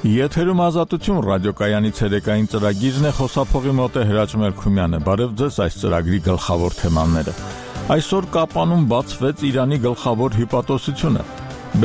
Եթերում ազատություն ռադիոկայանի ցերեկային ծրագիրն է, խոսափողի մոտ է Հրաչ Մելքումյանը։ Բարև ձեզ, այս ծրագրի գլխավոր թեմաները։ Այսօր Կապանում բացվեց Իրանի գլխավոր հյուպատոսությունը։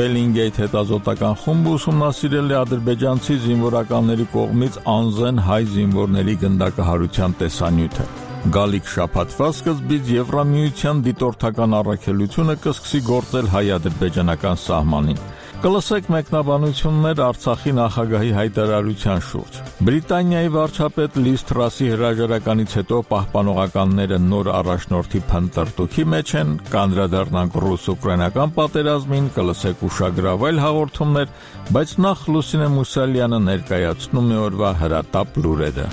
Բելինգեյթ հետազոտական խումբը ուսումնասիրել է ադրբեջանցի զինվորականների կողմից անզեն հայ զինվորների գնդակահարության տեսանյութը։ Գալիք շաբաթվա սկզբից Եվրամիության դիտորդական առաքելությունը կսկսի գործել հայ-ադրբեջանական սահմանին։ Կլսեք մեկնաբանություններ Արցախի նախագահի հայտարարության շուրջ։ Բրիտանիայի վարչապետ Լիզ Թրասի հրաժարականից հետո պահպանողականները նոր առաջնորդի փնտրտուքի մեջ են, կանդրադառնանք ռուս-ուկրաինական պատերազմին, կլսեք ուշագրավել հաղորդումներ, բայց նախ Լուսինե Մուսալյանը ներկայացնում է օրվա հրատապ լուրերը։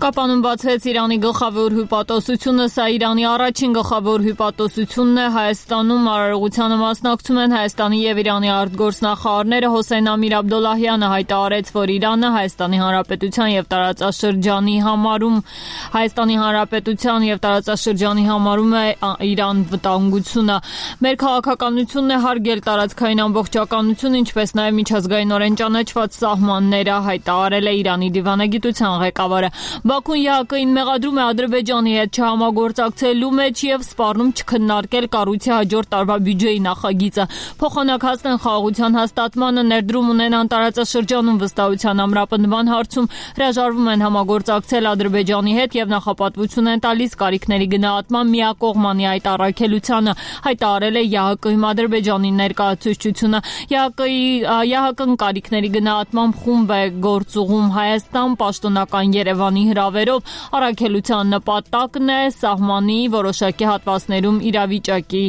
Կապանում բացվեց Իրանի գլխավոր հյուպատոսությունը, սա Իրանի առաջին գլխավոր հյուպատոսությունն է։ Հայաստանում արարողությանը մասնակցում են Հայաստանի եւ Իրանի արտգործնախարարները։ Հոսեյն Ամիր Աբդոլլահյանը հայտարարեց, որ Իրանը Հայաստանի Հանրապետության եւ տարածաշրջանի համարում է Իրան վտանգությունը։ Մեր քաղաքականությունն է հարգել տարածքային ամբողջականությունը, ինչպես նաեւ միջազգայինորեն ճանաչված սահմանները, հայտարարել է Իրանի դիվանագիտության ղեկավարը։ Բաքուն ԵԱՀԿ-ին մեղադրում է Ադրբեջանի հետ չհամագործակցելու մեջ եւ սպառնում չքննարկել կառույցի հաջորդ տարվա բյուջեի նախագիծը։ Փոխանակ հասնեն խաղաղության հաստատմանը, ներդրում ունենան տարածաշրջանում վստահության ամրապնդման հարցում, հրաժարվում են համագործակցել Ադրբեջանի հետ եւ նախապատվություն են տալիս կարիքների գնահատման միակողմանի այդ առաքելությանը, հայտարարել է ԵԱՀԿ-ի Ադրբեջանի ներկայացուցչությունը։ ԵԱՀԿ-ն կարիքների գնահատման խումբ է գործուղում Հայաստան, պաշտոնական Երևանի հրավերով։ Առաքելության նպատակն է սահմանի որոշակի հատվածներում իրավիճակի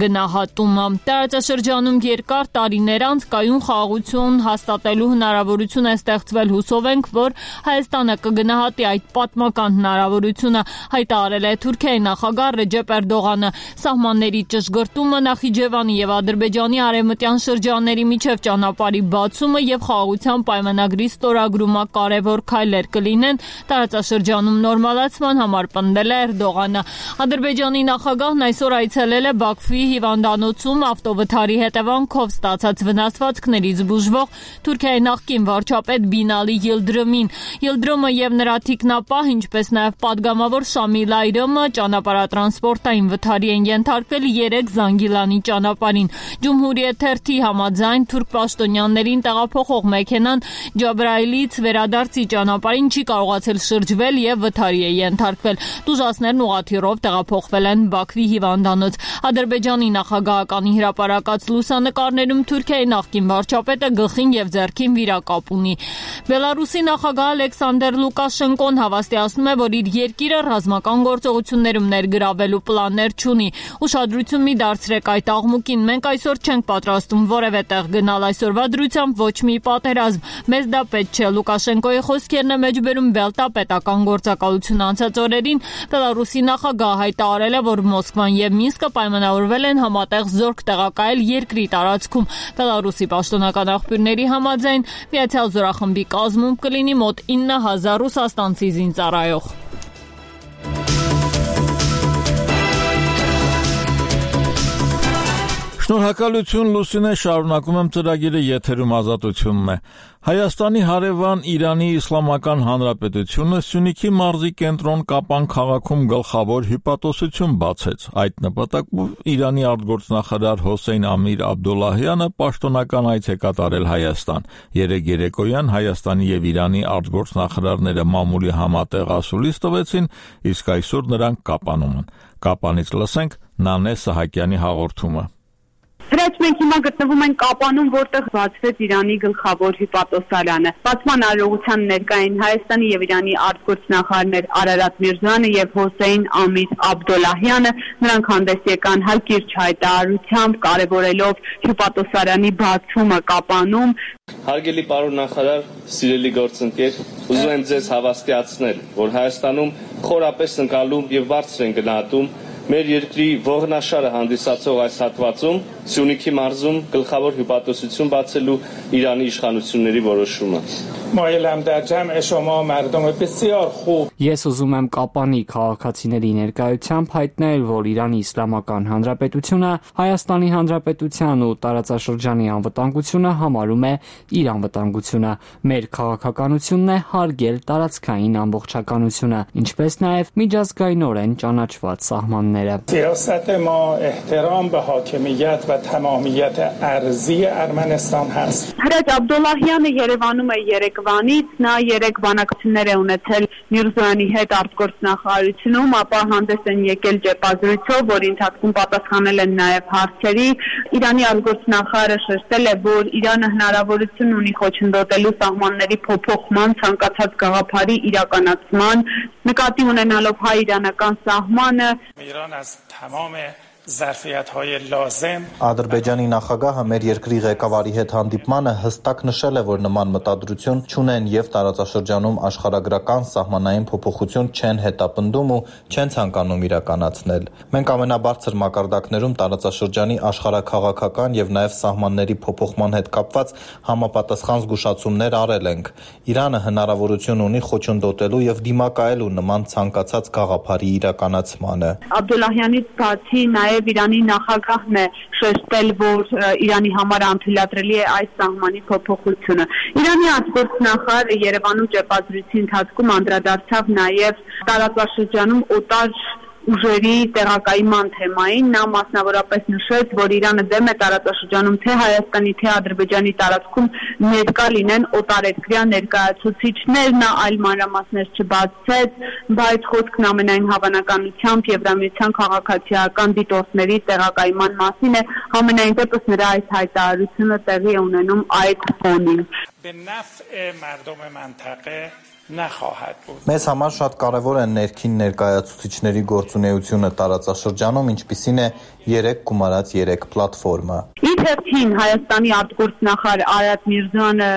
գնահատումը։ Տարածաշրջանում երկար տարիներ անց կայուն խաղաղություն հաստատելու հնարավորություն է ստեղծվել։ Հուսով ենք, որ Հայաստանը կգնահատի այդ պատմական հնարավորությունը, հայտարարել է Թուրքիայի նախագահ Ռեջեփ Էրդողանը։ Սահմանների ճշգրտումը, Նախիջևանի եւ Ադրբեջանի արևմտյան շրջանների միջև ճանապարհի բացումը եւ խաղաղության պայմանագրի ստորագրումը կարևոր քայլեր կլինեն տարածաշրջանում նորմալացման համար, պնդել է Էրդողանը։ Ադրբեջանի նախագահն այսօր այցելել է Բաքվի հիվանդանոցում ավտովթարի հետևանքով ստացած վնասվածքներից բուժվող Թուրքիայի նախկին վարչապետ Բինալի Յիլդրիմին։ Յիլդրիմը եւ նրա թիկնապահ, ինչպես նաեւ падգամավոր Շամիլ Այրոմը ճանապարհատրանսպորտային վթարի են ենթարկվել 3 Զանգիլանի ճանապարհին։ Ջումհուրիեթ թերթի համաձայն թուրք պաշտոնյաներին տեղափոխող մեքենան Ջաբրայիլից վերադարձի ճանապարհին չի կարողացել շրջվել եւ վթարի է ենթարկվել։ Տուժածներն ուղղաթիռով տեղափոխվել են Բաքվի հիվանդանոց։ Ադրբեջանի նախագահականի հրապարակած լուսանկարներում Թուրքիայի նախկին վարչապետը գլխին եւ ձեռքին վիրակապ ունի։ Բելարուսի նախագահ Ալեքսանդր Լուկաշենկոն հավաստիացնում է, որ իր երկիրը ռազմական գործողություններում ներգրավելու պլաններ չունի։ Ուշադրություն մի դարձրեք այդ աղմուկին, մենք այսօր չենք պատրաստում որևէ տեղ գնալ, այսօրվա դրությամբ ոչ մի պատերազմ, մեզ դա պետք չէ։ Լուկաշենկոյի խոսքերն է մեջբերում Բելտա պետական գործակալություն անցած օրերին։ Բելարուսի նախագահը հայտարարել է, որ Մոսկվան եւ Մինսկը պայմանավորվել են համատեղ զորք տեղակայել երկրի տարածքում։ Բելարուսի պաշտոնական աղբյուրների համաձայն Միացյալ զորախմբի կազմում կլինի մոտ 9000 ռուսաստանցի զինծառայող։ Շնորհակալություն Լուսինե, շարունակում եմ ծրագիրը, եթերում ազատությունն է։ Հայաստանի հարևան Իրանի Իսլամական Հանրապետությունը Սյունիքի մարզի կենտրոն Կապան քաղաքում գլխավոր հյուպատոսություն բացեց։ Այդ նպատակով Իրանի արտգործնախարար Հոսեյն Ամիր Աբդոլլահյանը պաշտոնական այց է կատարել Հայաստան։ Երեկոյան Հայաստանի եւ Իրանի արտգործնախարարները մամուլի համատեղ ասուլիս տվեցին, իսկ այսօր նրանք Կապանում են։ Կապանից լսենք Նանե Սահակյանի հաղորդումը։ Հրաչ մենք հիմա գտնվում ենք Կապանում, որտեղ բացվեց Իրանի գլխավոր հյուպատոսարանը։ Բացման արարողության ներկային Հայաստանի եւ Իրանի արտգործնախարարներ Արարատ Միրզոյանը եւ Հոսեյն Ամիր Աբդոլլահյանը։ Նրանք հանդես եկան հակիրճ հայտարարությամբ, կարևորելով հյուպատոսարանի բացումը Կապանում։ Հարգելի պարոն նախարար, սիրելի գործընկեր, ուզում եմ ձեզ հավաստիացնել, որ Հայաստանում խորապես ընկալում եւ բարձր են գնահատում մեր երկրի ողնաշարը հանդիսացող այս հատվածում Սյունիքի մարզում գլխավոր հյուպատոսություն բացելու Իրանի իշխանությունների որոշումը։ مایلم در جمع شما مردم بسیار خوب. Ես ուզում եմ Կապանի քաղաքացիների ներկայությամբ հայտնել, որ Իրանի Իսլամական Հանրապետությունը Հայաստանի Հանրապետության ու տարածաշրջանի անվտանգությունը համարում է իր անվտանգությունը։ Մեր քաղաքականությունն է հարգել տարածքային ամբողջականությունը, ինչպես նաև միջազգայինորեն ճանաչված սահմանները։ سیاست ما احترام به حاکمیت و تمامیت ارضی ارمنستان هست. Հրաչ Աբդոլլահյանը Երևանում է երեկվանից, նա 3 բանակցություններ է ունեցել Միրզոյանի հետ արտգործնախարարությունում, ապա հանդես են եկել ճեպազրույցով, որի ընթացքում պատասխանել են նաև հարցերի։ Իրանի արտգործնախարարը շեշտել է, որ Իրանը հնարավորություն ունի խոչընդոտելու սահմանների փոփոխման ցանկացած գաղափարի իրականացման, նկատի ունենալով հայ-իրանական սահմանը։ ایران از تمام ظرفیت‌های لازم Ադրբեջանի նախագահը մեր երկրի ղեկավարի հետ հանդիպմանը հստակ նշել է, որ նման մտադրություն չունեն եւ տարածաշրջանում աշխարհագրական սահմանային փոփոխություն չեն հետապնդում ու չեն ցանկանում իրականացնել։ Մենք ամենաբարձր մակարդակներում տարածաշրջանի աշխարհաքաղաքական եւ նաեւ սահմանների փոփոխման հետ կապված համապատասխան զգուշացումներ արել ենք։ Իրանը հնարավորություն ունի խոչընդոտելու եւ դիմակայելու նման ցանկացած գաղափարի իրականացմանը։ Աբդոլլահյանից բացի նաև Իրանի նախագահն է շեշտել, որ Իրանի համար անթույլատրելի է այս սահմանի փոփոխությունը։ Իրանի արտգործնախարարը Երևանում ճեպազրույցի ընթացքում անդրադարձավ նաև տարածաշրջանում օտար ուժերի տեղակայման թեմային, նա մասնավորապես նշեց, որ Իրանը դեմ է տարածաշրջանում թե Հայաստանի, թե Ադրբեջանի տարածքում ներկա լինեն օտարերկրյա ներկայացուցիչներ, նա այլ մանրամասներ չբացեց, բայց խոսքն ամենայն հավանականությամբ Եվրամիության քաղաքացիական դիտորդների տեղակայման մասին է, համենայն դեպս նրա այս հայտարարությունը տեղի է ունենում այդ ֆոնին։ به نفع مردم منطقه نخواهد بود. Մեզ համար շատ կարևոր է ներքին ներկայացուցիչների գործունեությունը տարածաշրջանում, ինչպիսին է 3 գումարած 3 պլատֆորմը։ Իր հերթին Հայաստանի արտգործնախարար Արադ Միրզոյանը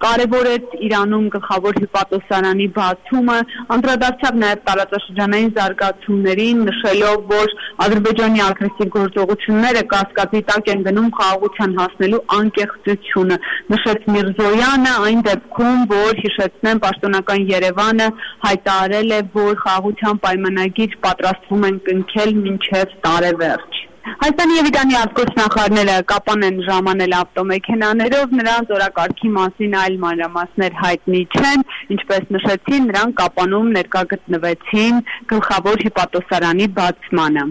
կարևորեց Իրանում գլխավոր հյուպատոսարանի բացումը, անդրադարձավ նաև տարածաշրջանային զարգացումներին, նշելով, որ Ադրբեջանի ագրեսիվ գործողությունները կասկածի տակ են գնում խաղաղության հասնելու անկեղծությունը։ Նշեց Միրզոյանը այն դեպքում, որ հիշեցնեմ պաշտոնական Երևանը հայտարարել է, որ խաղաղության պայմանագիր պատրաստվում են կնքել մինչև տարեվերջ։ Հայաստանի եւ Իրանի արտգործնախարարները Կապան են ժամանել ավտոմեքենաներով, նրանց օրակարգի մասին այլ մանրամասներ հայտնի չեն, ինչպես նշեցին, նրանք Կապանում ներկա գտնվեցին գլխավոր հյուպատոսարանի բացմանը։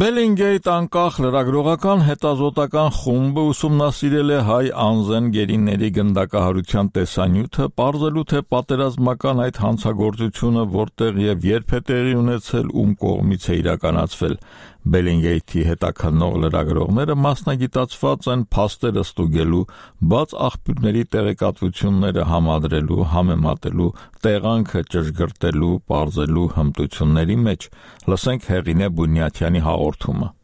Բելինգեյթ անկախ լրագրողական հետազոտական խումբը ուսումնասիրել է հայ անզեն գերիների գնդակահարության տեսանյութը, պարզելու թե պատերազմական այդ հանցագործությունը որտեղ եւ երբ է տեղի ունեցել, ում կողմից է իրականացվել։ Բելինգեյթի հետաքննող լրագրողները մասնագիտացված են փաստերը ստուգելու, բաց աղբյուրների տեղեկատվությունները համադրելու, համեմատելու, տեղանքը ճշգրտելու, պարզելու հմտությունների մեջ։ Լսենք Հեղինե Բունյաթյանի հաղորդումը։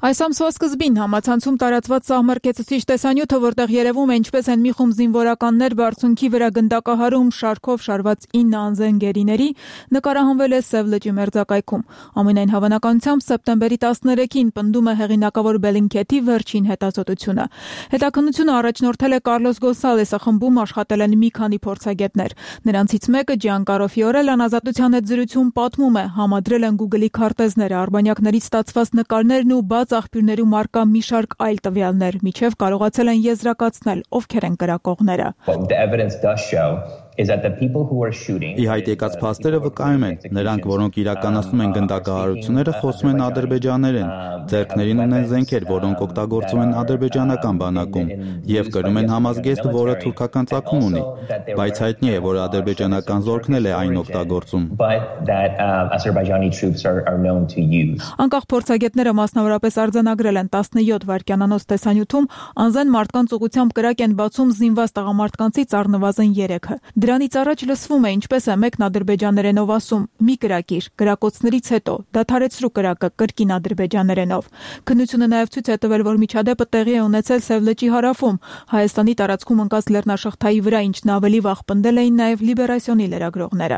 Այս ամսվա սկզբին համացանցում տարածված սահմռկեցուցիչ տեսանյութը, որտեղ երևում է ինչպես են մի խումբ զինվորականներ բարձունքի վրա գնդակահարում շարքով շարված 9 անզեն գերիների, նկարահանվել է Սև լճի մերձակայքում։ Ամենայն հավանականությամբ սեպտեմբերի 13-ին պնդում է հեղինակավոր Բելինգեթի վերջին հետազոտությունը։ Հետաքննությունը առաջնորդել է Կարլոս Գոնսալեսը, խմբում աշխատել են մի քանի փորձագետներ։ Նրանցից մեկը Ջիանկարո Ֆիորելան Ազատության հետ զրույցում պատմում է, համադրել են Google-ի քարտեզները, արբանյակներից ստացված նկարներն ու բաց աղբյուրներում արկա մի շարք այլ տվյալներ, միջև կարողացել են եզրակացնել, ովքեր են կրակողները։ Ի հայտ եկած փաստերը վկայում են, նրանք, որոնք իրականացնում են գնդակահարությունները, խոսում են ադրբեջաներեն, ձեռքներին ունեն զենքեր, որոնք օգտագործում են ադրբեջանական բանակում, եւ կրում են համազգեստ, որը թուրքական ծագում ունի, բայց հայտնի է, որ ադրբեջանական զորքն էլ է այն օգտագործում։ Անկախ փորձագետները մասնավորապես արձանագրել են 17 վայրկյանանոց տեսանյութում անզեն մարդկանց ուղղությամբ կրակ են բացում զինված տղամարդկանցից առնվազն 3-ը։ Դրանից առաջ լսվում է, ինչպես է մեկն ադրբեջաներենով ասում՝ «Մի կրակիր, կրակոցներից հետո, դադարեցրու կրակը» կրկին ադրբեջաներենով։ Քննությունը նաև ցույց է տվել, որ միջադեպը տեղի է ունեցել Սև լճի հարավում, Հայաստանի տարածքում ընկած լեռնաշղթայի վրա, ինչն ավելի վաղ պնդել էին նաև Լիբերասիոնի լրագրողները։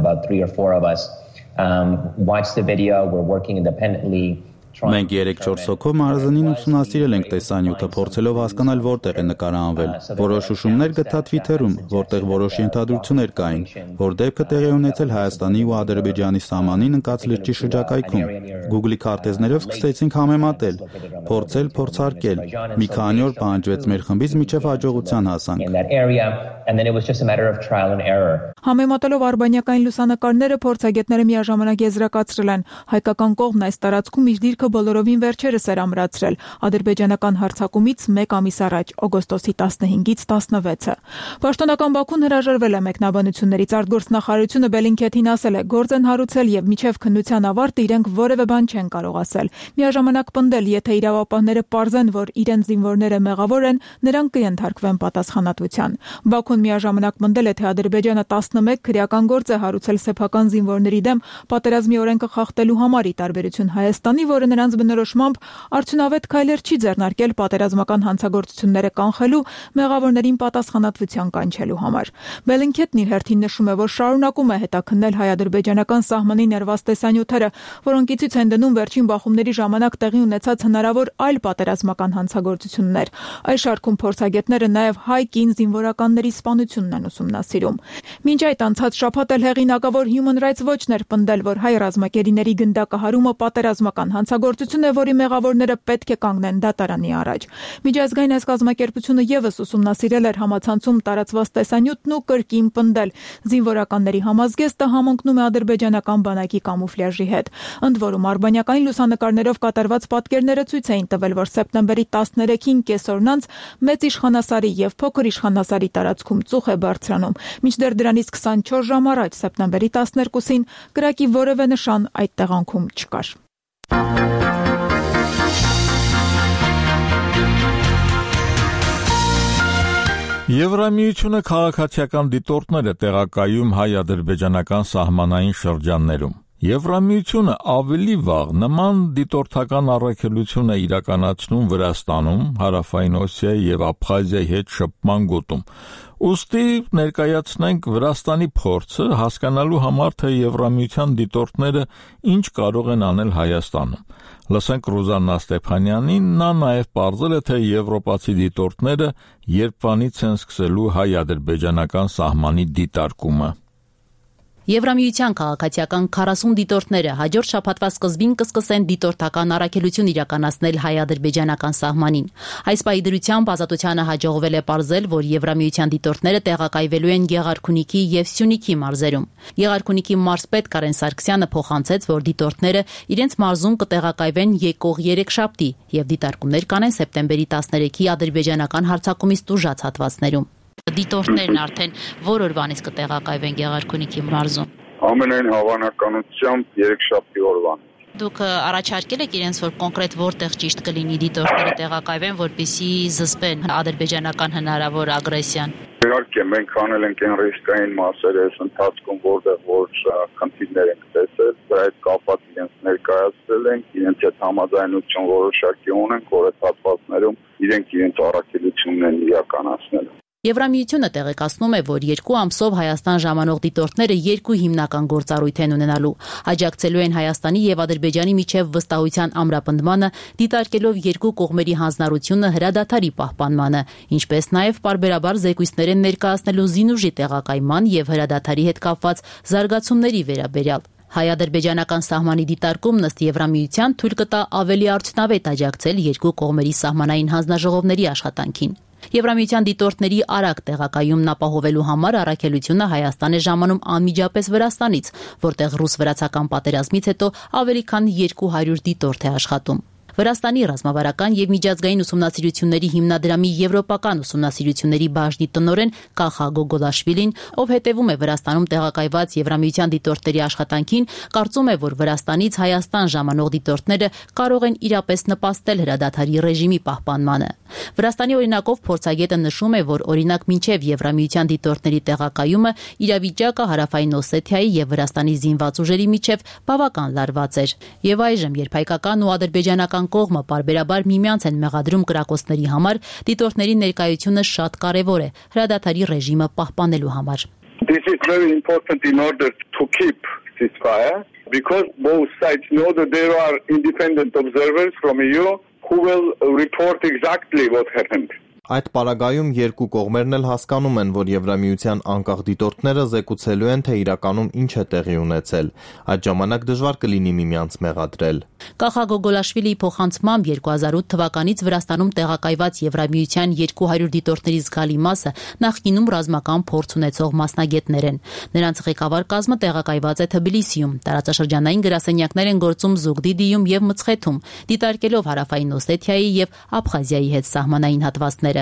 Մենք 3-4 հոգով մարզանին ուսումնասիրել ենք տեսանյութը, փորձելով հասկանալ որտեղ է նկարահանվել։ Որոշ հուշումներ գտա Twitter-ում, որտեղ որոշ ենթադրություններ կային, որ դեպքը տեղի ունեցել Հայաստանի ու Ադրբեջանի սահմանին ընկած լճի շրջակայքում։ Google-ի քարտեզներով սկսեցինք համեմատել, փորձել փորձարկել։ Մի քանի օր պահանջվեց մեր խմբից, մինչև հաջողության հասանք։ Համեմատելով արբանյակային լուսանկարները փորձագետները միաժամանակ եզրակացրել են, հայկական կողմն այս տարածքում իր դիրքը բոլորովին վերջերս էր ամրացրել ադրբեջանական հարձակումից 1 ամիս առաջ, օգոստոսի 15-ից 16-ը։ Պաշտոնական Բաքուն հրաժարվել է մեկնաբանություններից, արտգործնախարարությունը Բելինքեթին ասել է, գործ են հարուցել եւ միջև քննության ավարտը իրենք որևէ բան չեն կարող ասել։ Միաժամանակ պնդել, եթե իրավապահները պարզեն, որ իրենց զինվորները մեղավոր են, նրանք կընդարկվեն պատասխանատվության։ Բաքուն միաժամանակ պնդել է, թե Ադրբեջանը 11 քրեական գործ է հարուցել սեփական զինվորների դեմ պատերազմի օրենքը խախտելու համար, ի տարբերություն Հայաստանի, որը նրանց բնորոշմամբ արդյունավետ քայլեր չի ձեռնարկել պատերազմական հանցագործությունները կանխելու, մեղավորներին պատասխանատվության կանչելու համար։ Բելինքեթն իր հերթին նշում է, որ շարունակում է հետաքննել հայ-ադրբեջանական սահմանի ներված տեսանյութերը, որոնք ի ցույց են դնում վերջին բախումների ժամանակ տեղի ունեցած հնարավոր այլ պատերազմական հանցագործություններ։ Այս շարքում փորձագետները նաև հայ կին զինվորականների սպանությունն են ուսումնասիրում։ Մինչ այդ անցած շաբաթ էլ հեղինակավոր Human Rights Watch-ն էր պնդել, որ հայ ռազմակերիների գնդակահարումը պատերազմական հանցագործություն է, որի մեղավորները պետք է կանգնեն դատարանի առաջ։ Միջազգային այս կազմակերպությունը եւս ուսումնասիրել էր համացանցում տարածված տեսանյութն ու կրկին պնդել, զինվորականների համազգեստը համընկնում է ադրբեջանական բանակի կամուֆլյաժի հետ։ Ընդ որում արբանյակային լուսանկարներով կատարված պատկերները ցույց էին տվել, որ սեպտեմբերի 13-ին կեսօրն անց մեծ իշխանասարի եւ փոքր իշխանասարի տարածքում ծուխ է բարձրանում, մինչդեռ դրանից 24 ժամ առաջ սեպտեմբերի 12-ին կրակի որևէ նշան այդ տեղանքում չկար։ Եվրամիությունը քաղաքացիական դիտորդներ է տեղակայում հայ-ադրբեջանական սահմանային շրջաններում։ Եվրամիությունը ավելի վաղ նման դիտորդական առաքելություն է իրականացնում Վրաստանում, Հարավային Օսիայի եւ Աբխազիայի հետ շփման գոտում։ Ուստի ներկայացնենք Վրաստանի փորձը հասկանալու համար, թե Եվրամիության դիտորդները ինչ կարող են անել Հայաստանում։ Լսենք Ռուզաննա Ստեփանյանին, նա նաև պարզել է, թե եվրոպացի դիտորդները երբվանից են սկսելու հայ-ադրբեջանական սահմանի դիտարկումը։ Եվրամիության քաղաքացիական 40 դիտորդները հաջորդ շաբաթվա սկզբին կսկսեն դիտորդական առաքելություն իրականացնել հայ-ադրբեջանական սահմանին։ Այս պահի դրությամբ Ազատությանը հաջողվել է պարզել, որ Եվրամիության դիտորդները տեղակայվելու են Գեղարքունիքի եւ Սյունիքի մարզերում։ Գեղարքունիքի մարզպետ Կարեն Սարգսյանը փոխանցեց, որ դիտորդները իրենց մարզում կտեղակայվեն եկող երեքշաբթի եւ դիտարկումներ կանեն սեպտեմբերի 13-ի ադրբեջանական հարձակումից տուժած հատվածներում։ Դիտորդներն արդեն որ օրվանից կտեղակայվեն Գեղարքունիքի մարզում։ Ամենայն հավանականությամբ երեքշաբթի օրվան։ Դուք առաջարկել եք իրենց, որ կոնկրետ որտեղ ճիշտ կլինի դիտորդները տեղակայվեն, որպեսզի զսպեն ադրբեջանական հնարավոր ագրեսիան։ Իհարկե, մենք անել ենք այն ռիսկային մասերը այս ընթացքում, որտեղ որ խնդիրներ ենք տեսել, դրա հետ կապված իրենց ներկայացրել ենք, իրենց հետ համաձայնություն որոշակի ունենք, որ այդ հատվածներում իրենք իրենց առաքելությունն են իրականացնել։ Եվրամիությունը տեղեկացնում է, որ 2 ամսով Հայաստան ժամանող դիտորդները 2 հիմնական գործառույթ են ունենալու։ Աջակցելու են Հայաստանի եւ Ադրբեջանի միջև վստահության ամրապնդմանը, դիտարկելով 2 կողմերի հանձնառությունը հրադադարի պահպանմանը, ինչպես նաեւ պարբերաբար զեկույցներ են ներկայացնելու զինուժի տեղակայման եւ հրադադարի հետ կապված զարգացումների վերաբերյալ։ Հայ-ադրբեջանական սահմանի դիտարկումն ըստ Եվրամիության թույլ կտա ավելի արդյունավետ աջակցել 2 կողմերի սահմանային հանձնաժողովների աշխատանքին։ Եվրամիության դիտորդների արագ տեղակայումն ապահովելու համար առաքելությունը Հայաստան է ժամանում անմիջապես Վրաստանից, որտեղ ռուս-վրացական պատերազմից հետո ավելի քան 200 դիտորդ է աշխատում։ Վրաստանի ռազմավարական եւ միջազգային ուսումնասիրությունների հիմնադրամի եվրոպական ուսումնասիրությունների բաժնի տնօրեն Կախա Գոգոլաշվիլին, ով հետևում է Վրաստանում տեղակայված Եվրամիության դիտորդների աշխատանքին, կարծում է, որ Վրաստանից Հայաստան ժամանող դիտորդները կարող են իրապես նպաստել հրադադարի ռեժիմի պահպանմանը։ Վրաստանի օրինակով փորձագետը նշում է, որ օրինակ մինչև Եվրամիության դիտորդների տեղակայումը իրավիճակը Հարավային Օսեթիայի եւ Վրաստանի զինված ուժերի միջև բավական լարված էր։ Եվ այժմ, երբ հայկական ու ադրբեջանական կողմը պարբերաբար միմյանց են մեղադրում կրակոցների համար, դիտորդների ներկայությունը շատ կարևոր է հրադադարի ռեժիմը պահպանելու համար։ This is very important in order to keep ceasefire because both sides know that there are independent observers from EU who will report exactly what happened. Այդ պարագայում երկու կողմերն էլ հասկանում են, որ Եվրամիության անկախ դիտորդները զեկուցելու են, թե իրականում ինչ է տեղի ունեցել։ Այդ ժամանակ դժվար կլինի միմյանց մեղադրել։ Կախա Գոգոլաշվիլիի փոխանցմամբ 2008 թվականից Վրաստանում տեղակայված Եվրամիության 200 դիտորդների զգալի մասը նախկինում ռազմական փորձ ունեցող մասնագետներ են։ Նրանց ղեկավար կազմը տեղակայված է Թբիլիսիում, տարածաշրջանային գրասենյակներ են գործում Զուգդիդիում եւ Մցխեթում, դիտարկելով Հարավային Օսեթիայի եւ Աբխազիայի հետ սահմանային հատվածներ։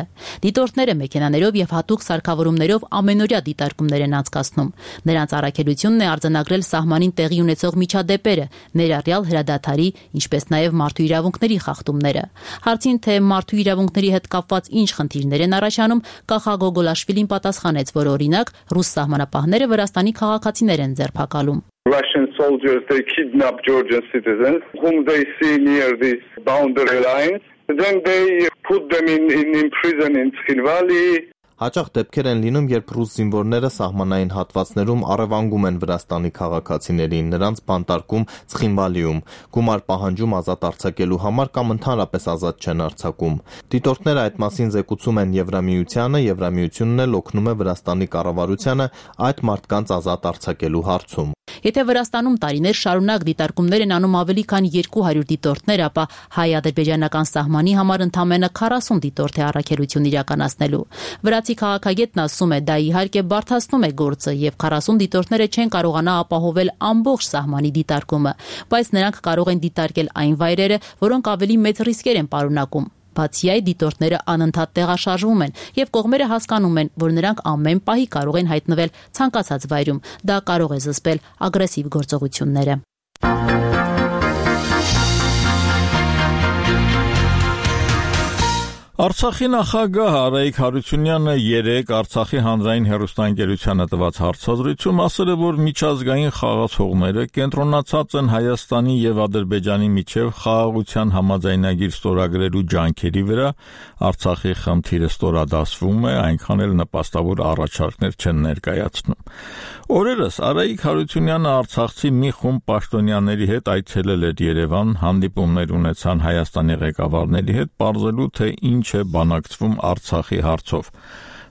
Դիտորդները մեքենաներով եւ հատուկ սարքավորումներով ամենօրյա դիտարկումներ են անցկացնում։ Նրանց առաքելությունն է արձանագրել սահմանին տեղի ունեցող միջադեպերը, ներառյալ հրադադարի, ինչպես նաեւ մարդու իրավունքների խախտումները։ Հարցին, թե մարդու իրավունքների հետ կապված ինչ խնդիրներ են առաջանում, Կախա Գոգոլաշվիլին պատասխանեց, որ օրինակ ռուս սահմանապահները Վրաստանի քաղաքացիներ են ձերբակալում։ Russian soldiers, they kidnap Georgian citizens whom they see near this boundary lines. Then they put them in prison in Tskhinvali. Հաճախ դեպքեր են լինում, երբ ռուս զինվորները սահմանային հատվածներում առևանգում են Վրաստանի քաղաքացիներին, նրանց բանտարկում Ցխինվալիում, գումար պահանջում ազատ արձակելու համար կամ ընդհանրապես ազատ չեն արձակում։ Դիտորդները այդ մասին զեկուցում են Եվրամիությանը, Եվրամիությունն էլ օգնում է Վրաստանի կառավարությանը այդ մարդկանց ազատ արձակելու հարցում։ Եթե Վրաստանում տարիներ շարունակ դիտարկումներ են անում ավելի քան 200 դիտորդներ, ապա հայ-ադրբեջանական սահմանի համար ընդամենը 40 դիտորդ է առաքելություն իրականացնելու։ Վրացի քաղաքագետն ասում է, դա իհարկե բարդացնում է գործը եւ 40 դիտորդները չեն կարողանա ապահովել ամբողջ սահմանի դիտարկումը, բայց նրանք կարող են դիտարկել այն վայրերը, որոնք ավելի մեծ ռիսկեր են պարունակում։ Բացի այդ, դիտորդները անընդհատ տեղաշարժվում են եւ կողմերը հասկանում են, որ նրանք ամեն պահի կարող են հայտնվել ցանկացած վայրում։ Դա կարող է զսպել ագրեսիվ գործողությունները։ Արցախի նախագահ Արայիկ Հարությունյանը երեկ Արցախի հանրային հեռուստաընկերությանը տված հարցազրույցում ասել է, որ միջազգային խաղացողները կենտրոնացած են Հայաստանի եւ Ադրբեջանի միջև խաղաղության համաձայնագիր ստորագրելու ջանքերի վրա, Արցախի խնդիրը ստորադասվում է, այնքան էլ նպաստավոր առաջարկներ չեն ներկայացնում։ Օրերս Արայիկ Հարությունյանը արցախցի մի խումբ պաշտոնյաների հետ այցելել էր Երևան, հանդիպումներ ունեցան Հայաստանի ղեկավարների հետ, պարզելու թե ինչ է բանակցվում Արցախի հարցով։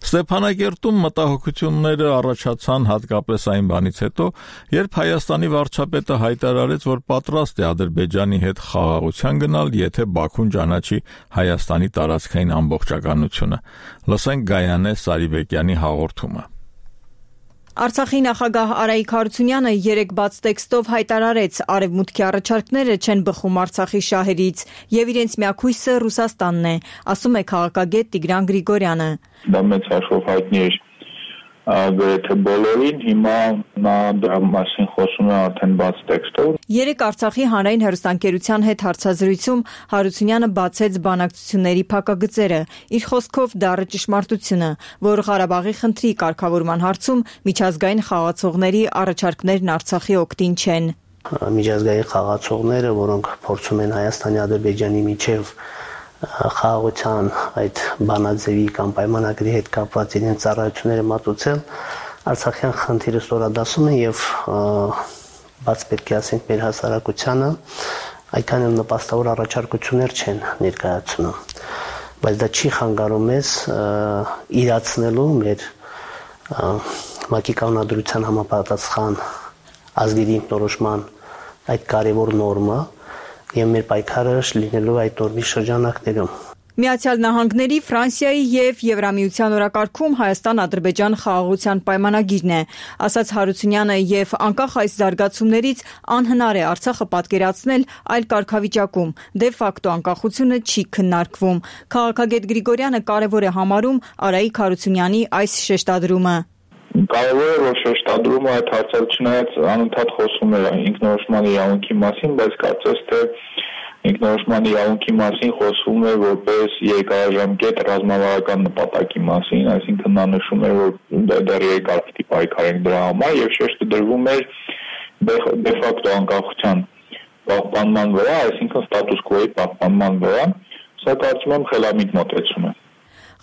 Ստեփանակերտում մտահոգությունները առաջացան հատկապես այն բանից հետո, երբ Հայաստանի վարչապետը հայտարարեց, որ պատրաստ է Ադրբեջանի հետ խաղաղության գնալ, եթե Բաքուն ճանաչի Հայաստանի տարածքային ամբողջականությունը։ Լսենք Գայանե Սարիբեկյանի հաղորդումը։ Արցախի նախագահ Արայիկ Հարությունյանը երեկ բաց տեքստով հայտարարեց, արևմուտքի առաջարկները չեն բխում Արցախի շահերից եւ իրենց միակույսը Ռուսաստանն է, ասում է քաղաքագետ Տիգրան Գրիգորյանը։ Դա մեծ հաշվով հայտնի էր գրեթե բոլորին, հիմա նա դրա մասին խոսում է արդեն բաց տեքստով։ Երեկ Արցախի հանրային հեռուստաընկերության հետ հարցազրույցում Հարությունյանը բացեց բանակցությունների փակագծերը, իր խոսքով դառը ճշմարտությունը, որ Ղարաբաղի խնդրի կարգավորման հարցում միջազգային խաղացողների առաջարկներն Արցախի օգտին չեն։ Միջազգային խաղացողները, որոնք փորձում են Հայաստանի Ադրբեջանի միջև խաղաղության այդ բանաձևի կամ պայմանագրի հետ կապված իրենց ծառայությունները մատուցել, Արցախյան խնդիրը ստորադասում է եւ բաց պետք է ասենք մեր հասարակությանը այդքան էլ նպաստավոր առաջարկություններ չեն ներկայացնում, բայց դա չի խանգարում մեզ իրացնելու մեր ՄԱԿ-ի կանոնադրության համապատասխան ազգերի ինքնորոշման այդ կարևոր նորմը եւ մեր պայքարը լինելու այդ նորմի շրջանակներում։ Միացյալ Նահանգների, Ֆրանսիայի եւ Եվրամիության օրակարգում Հայաստան-Ադրբեջան խաղաղության պայմանագիրն է, ասաց Հարությունյանը եւ անկախ այս զարգացումներից անհնար է Արցախը պատկերացնել այլ կարգավիճակում, դե ֆակտո անկախությունը չի քննարկվում։ Քաղաքագետ Գրիգորյանը կարևոր է համարում Արայիկ Հարությունյանի այս շեշտադրումը։ Կարևոր է, որ շեշտադրումը այդ հարցը չնայած անընդհատ խոսում է ինքնորոշման իրավունքի մասին, բայց կարծես թե ինքնորոշման իրավունքի մասին խոսվում է որպես երկարաժամկետ ռազմավարական նպատակի մասին, այսինքն նա նշում է, որ դեռ երկար պիտի պայքարենք դրա համար եւ շեշտը դրվում էր դե ֆակտո անկախության պահպանման վրա, այսինքն ստատուս քվոյի պահպանման վրա, սա կարծում եմ խելամիտ մոտեցում է։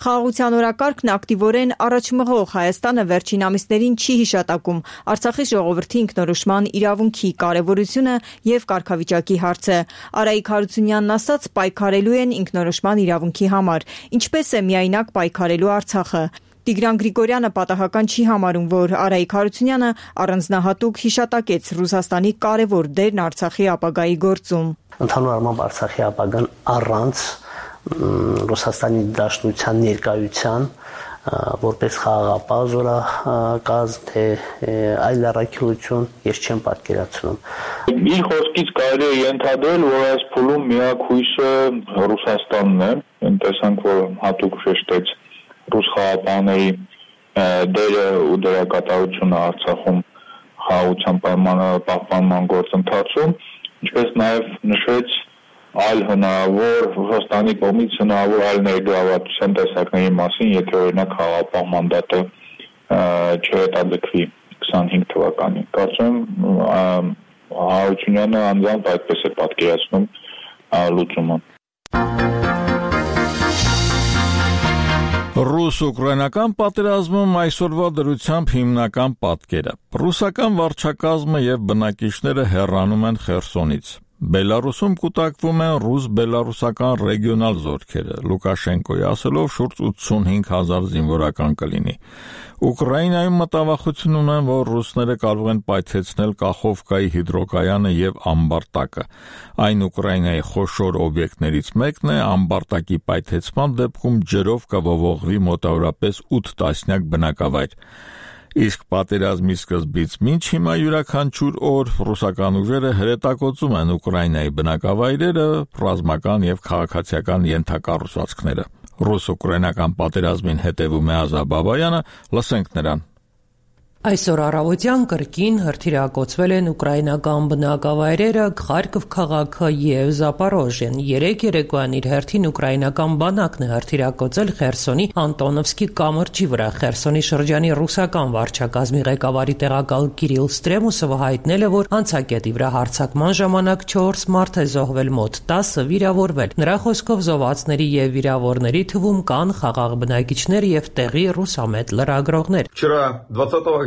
Խաղաղության օրակարգն ակտիվորեն առաջմղող Հայաստանը վերջին ամիսներին չի հիշատակում Արցախի ժողովրդի ինքնորոշման իրավունքի կարևորությունը եւ կարգավիճակի հարցը։ Արայիկ Հարությունյանն ասաց, պայքարելու են ինքնորոշման իրավունքի համար, ինչպես է միայնակ պայքարելու Արցախը։ Տիգրան Գրիգորյանը պատահական չի համարում, որ Արայիկ Հարությունյանը առանձնահատուկ հիշատակեց Ռուսաստանի կարևոր դերն Արցախի ապագայի գործում։ Ընդհանուր առմամբ Արցախի ապագան առանց Ռուսաստանի Դաշնության ներկայության որպես խաղաղապահ զորակազմ թե այլ առաքելություն ես չեմ պատկերացնում։ Իր խոսքից կարելի է ենթադրել, որ այս փուլում միակ հույսը Ռուսաստանն է։ Մենք տեսանք, որ հատուկ շեշտեց ռուս խաղաղապահների դերը ու դրա կատարությունը Արցախում խաղաղության պահպանման գործընթացում, ինչպես նաև նշեց այլ հնարավոր Ռուսաստանի կողմից հնարավոր այլ ներգրավվածության տեսակների մասին, եթե օրինակ խաղաղապահ մանդատը չհետաձգվի 25 թվականին։ Կարծում եմ Հարությունյանը անձամբ այդպես է պատկերացնում լուծումը։ Ռուս-ուկրաինական պատերազմում այսօրվա դրությամբ հիմնական պատկերը։ Ռուսական վարչակազմը եւ բնակիչները հեռանում են Խերսոնից։ Բելարուսում կուտակվում են ռուս-բելարուսական ռեգիոնալ զորքերը, Լուկաշենկոյի ասելով շուրջ 85,000 զինվորական կլինի։ Ուկրաինայում մտավախություն ունեն, որ ռուսները կարող են պայթեցնել Կախովկայի հիդրոկայանը եւ Ամբարտակը։ Այն Ուկրաինայի խոշոր օբյեկտներից մեկն է, Ամբարտակի պայթեցման դեպքում ջրով կվողվի մոտավորապես 8 տասնյակ բնակավայր։ Իսկ պատերազմի սկզբից մինչ հիմա յուրաքանչյուր օր ռուսական ուժերը հրետակոծում են Ուկրաինայի բնակավայրերը, ռազմական եւ քաղաքացիական ենթակառուցվածքները։ Ռուս-ուկրաինական պատերազմին հետևում է Ազա Բաբայանը, լսենք նրան։ Այսօր առավոտյան կրկին հրթիռակոծվել են ուկրաինական բնակավայրերը Խարկով քաղաքը եւ Զապորոժիան։ Երեք երեկոյան իր հերթին ուկրաինական բանակն է հրթիռակոծել Խերսոնի Անտոնովսկի կամրջի վրա։ Խերսոնի շրջանի ռուսական վարչակազմի ղեկավարի տեղակալ Կիրիլ Ստրեմուսովը հայտնել է, որ անցակետի վրա հարձակման ժամանակ 4 մարդ է զոհվել, մոտ 10-ը վիրավորվել։ Նրա խոսքով զոհվածների եւ վիրավորների թվում կան խաղաղ բնակիչներ եւ տեղի ռուսամետ լրագրողներ։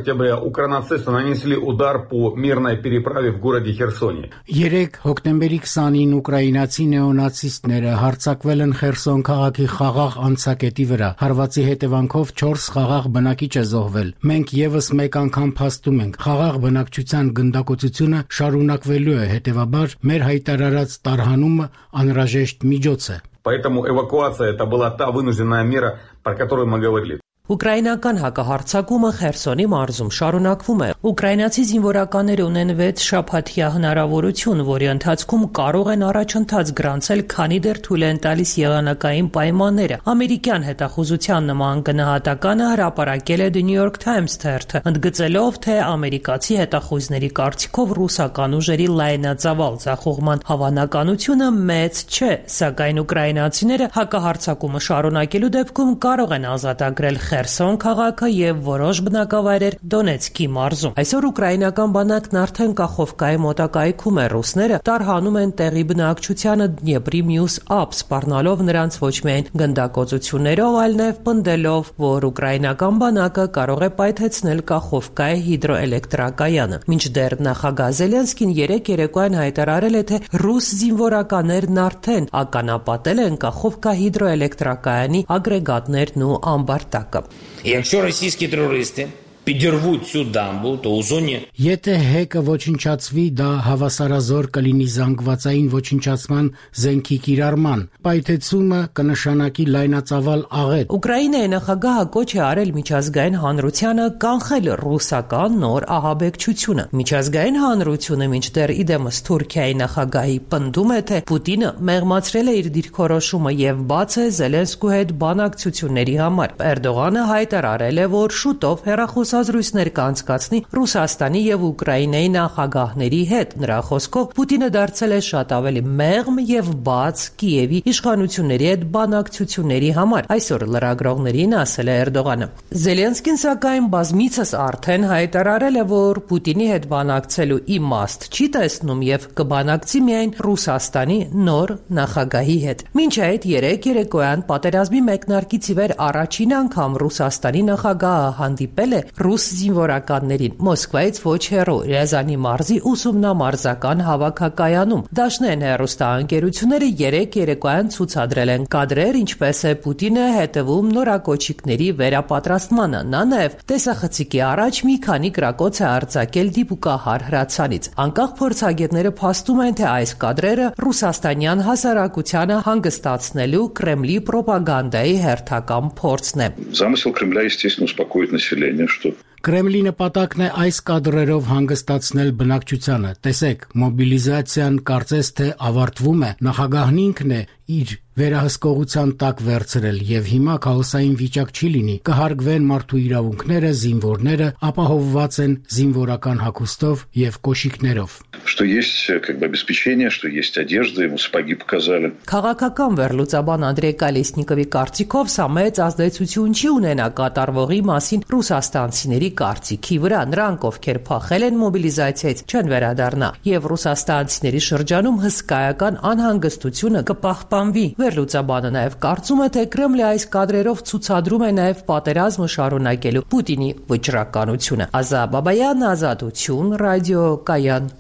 октября укронацисты нанесли удар по мирной переправе в городе Херсоне. 3 հոկտեմբերի 20-ին ուկրաինացի նեոնացիստները հարձակվել են Խերսոն քաղաքի խաղաղ անցակետի վրա։ Հարվածի հետևանքով 4 խաղաղ բնակիչ է զոհվել։ Մենք եւս մեկ անգամ փաստում ենք, խաղաղ բնակչության գնդակոծությունը շարունակվելու է, հետեւաբար մեր հայտարարած տարհանումը անհրաժեշտ միջոց է։ Поэтому эвакуация это была та вынужденная мера, про которую мы говорили. Ուկրաինական հակահարձակումը Խերսոնի մարզում շարունակվում է։ Ուկրաինացի զինվորականները ունեն 6 շաբաթյա հնարավորություն, որի ընթացքում կարող են առաջընթաց գրանցել, քանի դեռ թույլ են տալիս եղանակային պայմանները։ Ամերիկյան հետախուզության նման գնահատականը հրապարակել է The New York Times թերթը, ընդգծելով, թե ամերիկացի հետախուզների կարծիքով ռուսական ուժերի լայնածավալ ձախողման հավանականությունը մեծ չէ, սակայն ուկրաինացիները հակահարձակումը շարունակելու դեպքում կարող են ազատագրել Խերսոն քաղաքը եւ որոշ բնակավայրեր Դոնեցկի մարզում։ Այսօր ուկրաինական բանակն արդեն Կախովկայի մոտակայքում է։ Ռուսները տարհանում են տեղի բնակչությանը Դնեպրի մյուս ափ, սպառնալով նրանց ոչ միայն գնդակոծություններով, այլ նաեւ պնդելով, որ ուկրաինական բանակը կարող է պայթեցնել Կախովկայի հիդրոէլեկտրակայանը։ Մինչդեռ նախագահ Զելենսկին երեկոյան հայտարարել է, թե ռուս զինվորականներն արդեն ականապատել են Կախովկա հիդրոէլեկտրակայանի ագրեգատներն ու Ամբարտակը։ Якщо російські терористи підірвуть цю дамбу, то у зоні Եթե հեկը ոչնչացվի, դա հավասարազոր կլինի զանգվածային ոչնչացման զենքի կիրառման։ Պայթեցումը կնշանակի լայնածավալ աղետ։ Ուկրաինայի նախագահը կոչ է արել միջազգային հանրությանը կանխել ռուսական նոր ահաբեկչությունը։ Միջազգային հանրությունը մինչդեռ իդեմս Թուրքիայի նախագահի պնդում է, թե Պուտինը մեղմացրել է իր դիրքորոշումը եւ բաց է Զելենսկու հետ բանակցությունների համար։ Էրդողանը հայտարարել է, որ շուտով հեռախոս խոսազրույցներ կանցկացնի Ռուսաստանի եւ Ուկրաինայի նախագահների հետ։ Նրա խոսքով Պուտինը դարձել է շատ ավելի մեղմ եւ բաց Կիևի իշխանությունների հետ բանակցությունների համար, այսօր լրագրողներին ասել է Էրդողանը։ Զելենսկին սակայն բազմիցս արդեն հայտարարել է, որ Պուտինի հետ բանակցելու իմաստ չի տեսնում եւ կբանակցի միայն Ռուսաստանի նոր նախագահի հետ։ Մինչ այդ երեկոյան պատերազմի մեկնարկից ի վեր առաջին անգամ Ռուսաստանի նախագահը հանդիպել է ռուս զինվորականներին Մոսկվայից ոչ հեռու Ռեզանի մարզի ուսումնամարզական հավաքակայանում։ Դաշնեն հեռուստաընկերությունները երեկոյան ցուցադրել են կադրեր, ինչպես է Պուտինը հետևում նորակոչիկների վերապատրաստմանը։ Նա նաև տեսախցիկի առաջ մի քանի կրակոց է արձակել դիպուկահար հրացանից։ Անկախ փորձագետները փաստում են, թե այս կադրերը ռուսաստանյան հասարակությանը հանգստացնելու Կրեմլի պրոպագանդայի հերթական փորձն է։ Замысел Кремля, естественно, успокоить население, что Կրեմլի նպատակն է այս կադրերով հանգստացնել բնակչությանը։ Տեսեք, մոբիլիզացիան կարծես թե ավարտվում է, նախագահն ինքն է իր վերահսկողության տակ վերցրել եւ հիմա քաոսային վիճակ չի լինի, կհարգվեն մարդու իրավունքները, զինվորները ապահովված են զինվորական հագուստով եւ կոշիկներով։ Что есть как бы обеспечение, что есть одежда, ему сапоги показали. Քաղաքական վերլուծաբան Անդրեյ Կալեսնիկովի կարծիքով սա մեծ ազդեցություն չի ունենա կատարվողի մասին ռուսաստանցիների կարծիքի վրա։ Նրանք, ովքեր փախել են մոբիլիզացիայից, չեն վերադառնա եւ ռուսաստանցիների շրջանում հսկայական անհանգստությունը կպահպանվի։ Վերլուծաբանը նաև կարծում է, թե Կրեմլը այս կադրերով ցուցադրում է նաև պատերազմը շարունակելու Պուտինի վճռականությունը։ Ազա Բաբայան, Ազատություն, Ռադիո Կայան։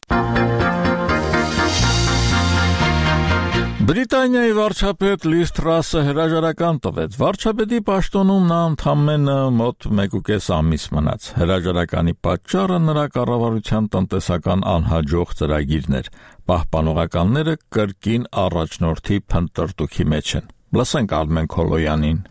Բրիտանիայի վարչապետ Լիզ Թրասը հրաժարական տվեց։ Վարչապետի պաշտոնում նա ընդամենը մոտ 1.5 ամիս մնաց։ Հրաժարականի պատճառը նրա կառավարության տնտեսական անհաջող ծրագիրն էր։ Պահպանողականները կրկին առաջնորդի փնտրտուքի մեջ են։ Լսենք Արմեն Քոլոյանին։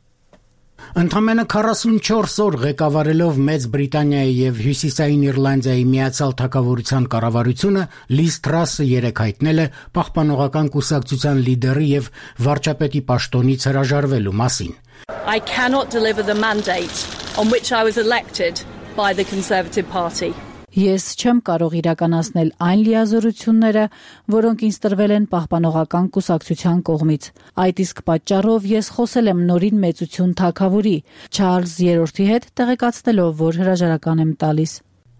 Ընդամենը 44 օր ղեկավարելով Մեծ Բրիտանիայի եւ Հյուսիսային Իռլանդիայի միացյալ թագավորության կառավարությունը Լիզ Թրասը երեկ հայտնել է պահպանողական կուսակցության լիդերի եւ վարչապետի պաշտոնից հրաժարվելու մասին։ I cannot deliver the mandate on which I was elected by the Conservative Party. Ես չեմ կարող իրականացնել այն լիազորությունները, որոնք ինձ տրվել են պահպանողական կուսակցության կողմից։ Այդ իսկ պատճառով ես խոսել եմ նորին մեծություն թագավորի Չարլզ III-ի հետ, տեղեկացնելով, որ հրաժարական եմ տալիս։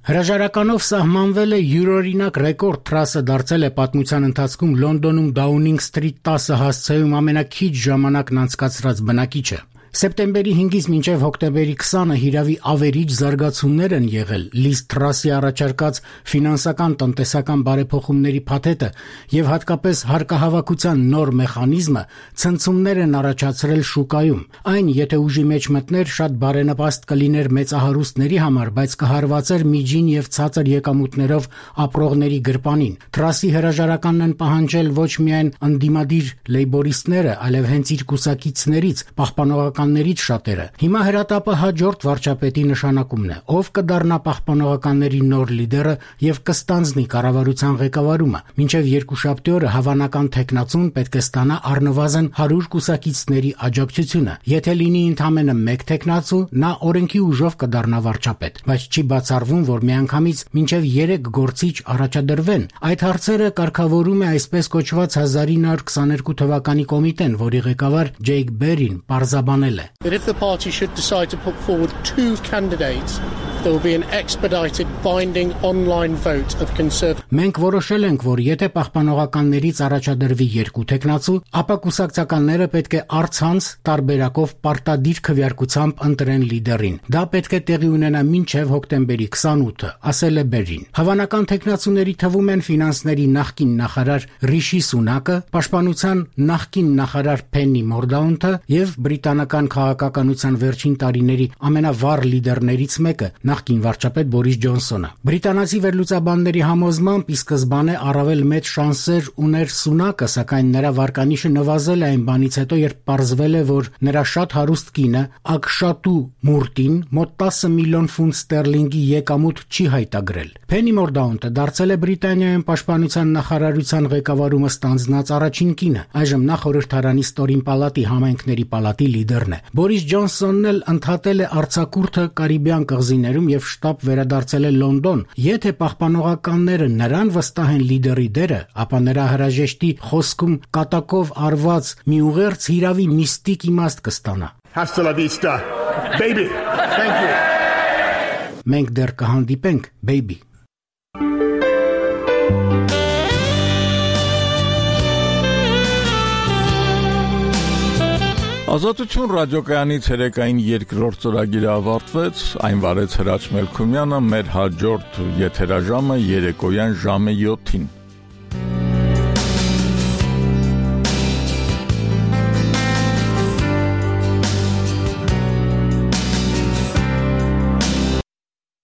Հրաժարականով սահմանվել է յուրօրինակ ռեկորդ։ Թրասը դարձել է պատմության ընթացքում Լոնդոնում Դաունինգ Սթրիթ 10 հասցեում ամենաքիչ ժամանակն անցկացրած բնակիչը։ Սեպտեմբերի 5-ից մինչև հոկտեմբերի 20-ը հիրավի ավերիչ զարգացումներ են եղել։ Լիզ Թրասի առաջարկած ֆինանսական տնտեսական բարեփոխումների փաթեթը եւ հատկապես հարկահավաքության նոր մեխանիզմը ցնցումներ են առաջացրել շուկայում։ Այն, եթե ուժի մեջ մտներ, շատ բարենպաստ կլիներ մեծահարուստների համար, բայց կհարվածեր միջին եւ ցածր եկամուտներով ապրողների գրպանին։ Թրասի հրաժարականն են պահանջել ոչ միայն ընդդիմադիր լեյբորիստները, այլև հենց իր կուսակիցներից պահպանողականներից շատերը։ Հիմա հրատապը հաջորդ վարչապետի նշանակումն է, ով կդառնա պահպանողականների նոր լիդերը եւ կստանձնի կառավարության ղեկավարումը։ Մինչեւ երկուշաբթի օրը հավանական տեխնացուն պետք է ստանա առնվազն 100 կուսակիցների աջակցությունը։ Եթե լինի ընդամենը 1 տեխնացու, նա օրենքի ուժով կդառնա վարչապետ, բայց չի բացառվում, որ միանգամից մինչեւ 3 գործիչ առաջադրվեն։ Այդ հարցերը կարգավորում է այսպես կոչված 1922 թվականի կոմիտեն, որի ղեկավար Ջեյք Բերին պարզաբանել է. If the party should decide to put forward 2 candidates, there will be an expedited binding online vote of Conservative. Մենք որոշել ենք, որ եթե պահպանողականներից առաջադրվի 2 տեխնացու, ապա կուսակցականները պետք է առցանց տարբերակով պարտադիր քվեարկությամբ ընտրեն լիդերին։ Դա պետք է տեղի ունենա մինչև հոկտեմբերի 28-ը, ասել է Բերին։ Հավանական տեխնացուների թվում են ֆինանսների նախկին նախարար Ռիշի Սունակը, պաշտպանության նախկին նախարար Փեննի Մորդաունթը եւ բրիտանական քաղաքականության վերջին տարիների ամենավառ լիդերներից մեկը, նախկին վարչապետ Բորիս Ջոնսոնը։ Բրիտանացի վերլուծաբանների համոզմամբ ի սկզբանե առավել մեծ շանսեր ուներ Սունակը, սակայն նրա վարկանիշը նվազել է այն բանից հետո, երբ պարզվել է, որ նրա շատ հարուստ կինը Ակշատու Մուրտին մոտ 10 միլիոն ֆունտ ստերլինգի եկամուտ չի հայտագրել։ Փենի Մորդաունթը դարձել է Բրիտանիայում պաշտպանության նախարարության ղեկավարումը ստանձնած առաջին կինը։ Այժմ նա խորհրդարանի ստորին պալատի համայնքների պալատի լիդերն է։ Բորիս Ջոնսոնն էլ ընդհատել է արձակուրդը Կարիբյան կղզիներում տեղում եւ շտաբ վերադարձել է Լոնդոն, եթե պահպանողականները նրան վստահեն լիդերի դերը, ապա նրա հրաժեշտի խոսքում կատակով արված մի ուղերձ հիրավի միստիկ իմաստ կստանա։ Hasta la vista, baby. Thank you. Մենք դեռ կհանդիպենք, baby. Ազատություն ռադիոկայանի ցերեկային երկրորդ ծրագիրը ավարտվեց, այն վարեց Հրաչ Մելքումյանը, մեր հաջորդ եթերաժամը երեկոյան ժամը 7-ին։